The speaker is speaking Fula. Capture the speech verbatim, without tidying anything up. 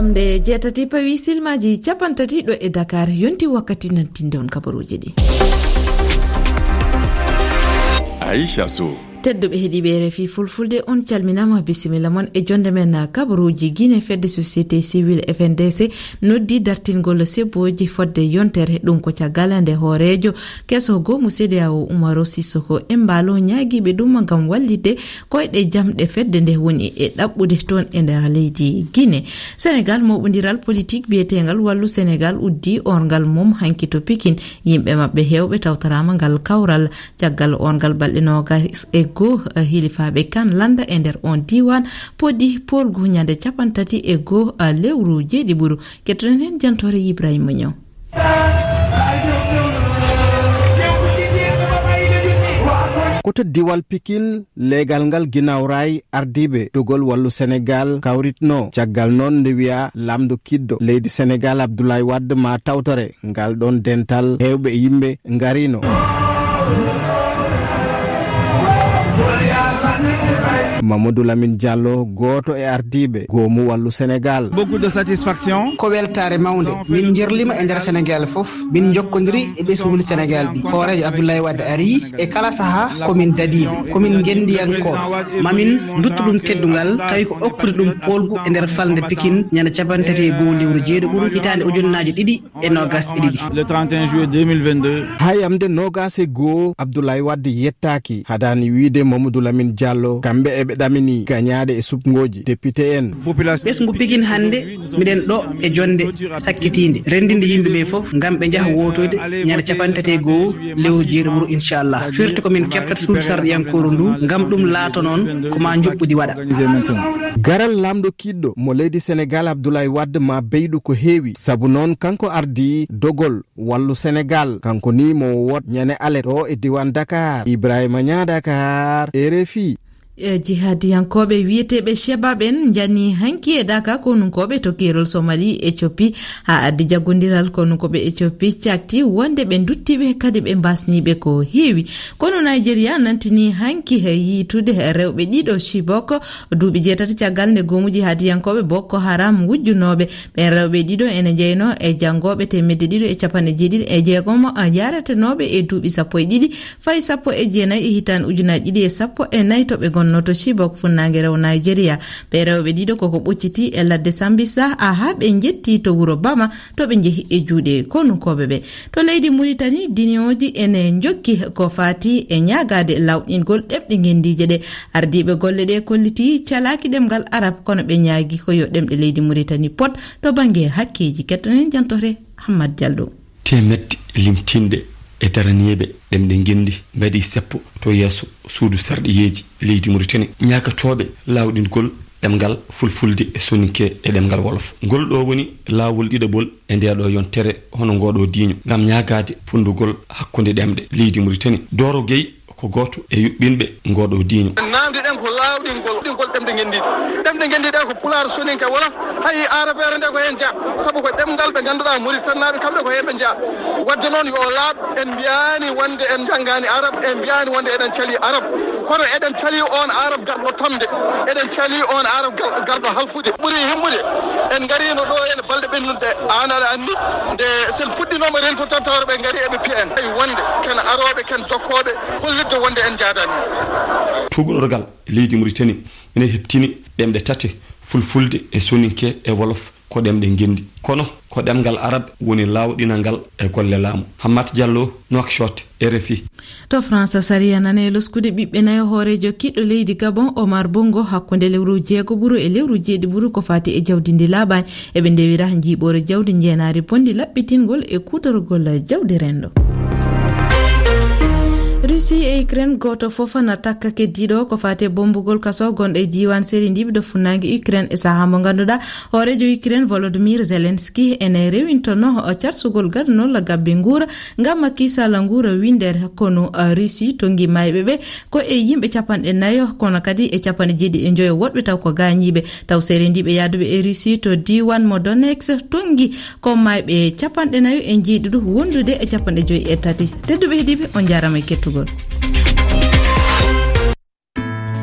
Nde jeetati pawi silmaaji capanɗe tati ɗo e Dakar, yonti wakkati nantinde on kabaruuji ɗi. Aisha Sow. Tedduɓe heɗiiɓe R F I Fulfulde, on calminaama, bisimilla mon e jonde men. Kabaruuji Gine, fedde société civile F N D C noddi dartingol sebbooji fodde yontere. Ɗum ko caggal nde hooreejo keso goomu C D A O Umaro Sissoko Embaló ñaagiiɓe ɗum ngam wallitde koyɗe jamɗe fedde nde woni e ɗaɓɓude toon e nder leydi Gine. Senegal, mooɓondiral politik biyeteengal Wallu Senegal uddi orngal mum hanki to Pikin. Yimɓe maɓɓe heewɓe tawtoraama ngal kawral. Caggal orngal balɗe noogas e goo, eh, hilifaaɓe kan lannda e nder on diiwaan podi poolgu ñande capanɗe tati e goo, eh, lewru jeeɗiɓuru. Kettoɗen heen jantoore Ibrahima Ñaw. Ko to diwal Pikin, leegal ngal ginnaaw raay ardiiɓe dogol Wallu Senegal kawritno. Caggal noon, nde wiya laamɗo kiɗɗo leydi Senegal Abdoulaye Wade ma tawtore, ngal ɗoon dental heewɓe yimɓe ngarino. Mamadou Lamine Diallo, gooto e ardiiɓe goomu Wallu Senegal. Beaucoup de satisfaction. Ko weltaare mawnde. Min njerlima e nder Senegal fof. Min njokkondiri e ɓesnguuli Senegal ɗi. Hooreejo Abdoulaye Wade ari e kala sahaa ko min dadiiɓe, ko min ngenndiyankooɓe. Ma min nduttu ɗum teddungal, tawi ko okkude ɗum poolgu e nder falnde Pikin ñande capanɗe tati e goo lewru jeeɗiɓuru hitaande ujunnaaje ɗiɗi e noogas e ɗiɗi. Le trente et un juillet deux mille vingt-deux. Haa yamde noogas e goo, Abdoulaye Wade yettaaki. Hadaani wiyde Mamadou Lamine Diallo, kamɓe eɓe ɗamini gañaaɗe e suɓngooji député en. Ɓesngu Pikin hannde, miɗen ɗo e jonnde sakkitiinde, renndinde yimɓe ɓe fof ngam ɓe njaha wootoyde ñande capanɗe tati e goo lewru jeeɗiɓuru, inchallah. Firti ko min keɓtata suudu sarɗiyankooru ndu ngam ɗum laato noon ko ma njuɓɓudi waɗa. Garal laamɗo kiɗɗo mo leydi Senegal Abdoulaye Wade ma beyɗu ko heewi, sabu noon kanko ardi dogol Wallu Senegal, kanko ni mo wot ñande alet o e diiwaan Dakar. Ibrahima Ñaa, Dakar, R F I. E, jihadiyankooɓe wiyeteeɓe Shebab en njani hanki e Daka konunkooɓe to keerol Somali, Ethiopie, haa addi jaggondiral. Konunkooɓe Ethiopie cakti wonde ɓe nduttiiɓe, kadi ɓe mbasniiɓe ko heewi. Kono Nigeria nantini hanki he yiitude rewɓe ɗiɗo Chibok, duuɓi jeetati caggal nde goomu jihadiyankooɓe Boko Haram wujjunooɓe. Ɓeen rewɓe ɗiɗo ene njeynoo e janngooɓe teemedde ɗiɗo e capanɗe jeeɗiɗi e jeegom, a, yaaretenooɓe e duuɓi sappo e ɗiɗi fayi sappo e jeenayi e hitaande ujunaaji ɗiɗi e sappo e nayi to ɓe ngonnoo to Chibok, funnaange rewo Nigeria. Ɓee rewɓe ɗiɗo koko ɓoccitii e ladde Sambisa, a, haa ɓe njettii to wuro Bama, to ɓe njehi e juuɗe konunkooɓe ɓe. To leydi Mauritanie, duniyooji ene njokki ko faati e ñaagaade lawɗingol ɗemɗe ngenndiije ɗe. Ardiiɓe golle ɗe kollitii calaaki ɗemngal Arab, kono ɓe ñaagi ko yo ɗemɗe leydi Mauritanie pot to bannge hakkeeji. Kettoɗen jantoore Hammad Diallo. Teemedde limtinɗe e daraniiɓe ɗemɗe ngenndi mbaɗi seppo to yeeso suudu sarɗiyeeji leydi Mauritanie, ñaagatooɓe laawɗingol ɗemngal Fulfulde e Soninke e ɗemngal Wolof. Ngol ɗo woni laawol ɗiɗaɓol e nde ɗo yontere hono ngo ɗo diiño, ngam ñaagaade funndugol hakkunde ɗemɗe leydi Mauritanie. Doro Gueye ko gooto e yuɓɓinɓe ngoo ɗoo diiño. Naamndiɗen ko laawɗingol, ɗingol ɗemɗe ngenndiije. Ɗemɗe ngenndiije ɗe ko Pulaar, Soninke, Wolof, hay Arab feere nde ko heen jeyaa. Sabu ko ɗemngal ɓe ngannduɗaa Mauritanie naaɓe, kamɓe ko heen ɓe njeyaa. Wadde noon yo o laaɓ, en mbiyaani wonde en njanngaani Arab, en mbiyaani wonde eɗen calii Arab. Kono eɗen calii oon Arab garɗo tamde. Eɗen calii oon Arab gal-, garɗo halfude. Ɓuri himmude, en ngariino ɗo en balɗe ɓennude. Aan aɗa anndi, nde sen puɗɗinooma renkude tan, tawreɓe ngari eɓe piya en. Tawi wonde ken arooɓe, ken jokkooɓe, hollitde wonde en njaadaani. Tuugnorgal leydi Mauritanie ene heɓtini ɗemɗe tati, Fulfulde e Soninke e Wolof ko ɗemɗe ngenndi. Kono ko ɗemngal Arab woni laawɗinangal e golle laamu. Hammat Diallo, Nouakchott, R F I. To France, sariya nane loskude ɓiɓɓe nayo hooreejo kiɗɗo leydi Gabon, Omar Bongo, hakkunde lewru jeego ɓuru e lewru jeeɗi ɓuru ko faati e jawdi ndi laaɓaani. Eɓe ndewira njiiɓoore jawdi njeenaari bonndi laɓɓitingol e kuutorgol jawdi renndo. Russie e Ukraine, gooto fof na takka keddiiɗo ko faati e bommbugol kaso gonɗo e diiwaan Serindiɓe ɗo funnaange Ukraine e sahaa mo ngannduɗaa hooreejo Ukraine Volodymyr Zelensky ene rewintonoo carsugol gadanol gabbe nguura ngam kiisal nguura winndere. Kono, uh, Russie tonngi maayɓe ɓe ko e yimɓe capanɗe nayo, kono kadi e capanɗe jeeɗiɗi e njoyo woɗɓe taw ko gaañiiɓe. Taw serendiiɓe yahduɓe e Russie to diiwaan mo Donetsk tonngi ko maayɓe capanɗe nayo e njeeɗiɗi wondude e capanɗe joyi e tati. Tedduɓe heɗiiɓe, on njaaraama e kettugol.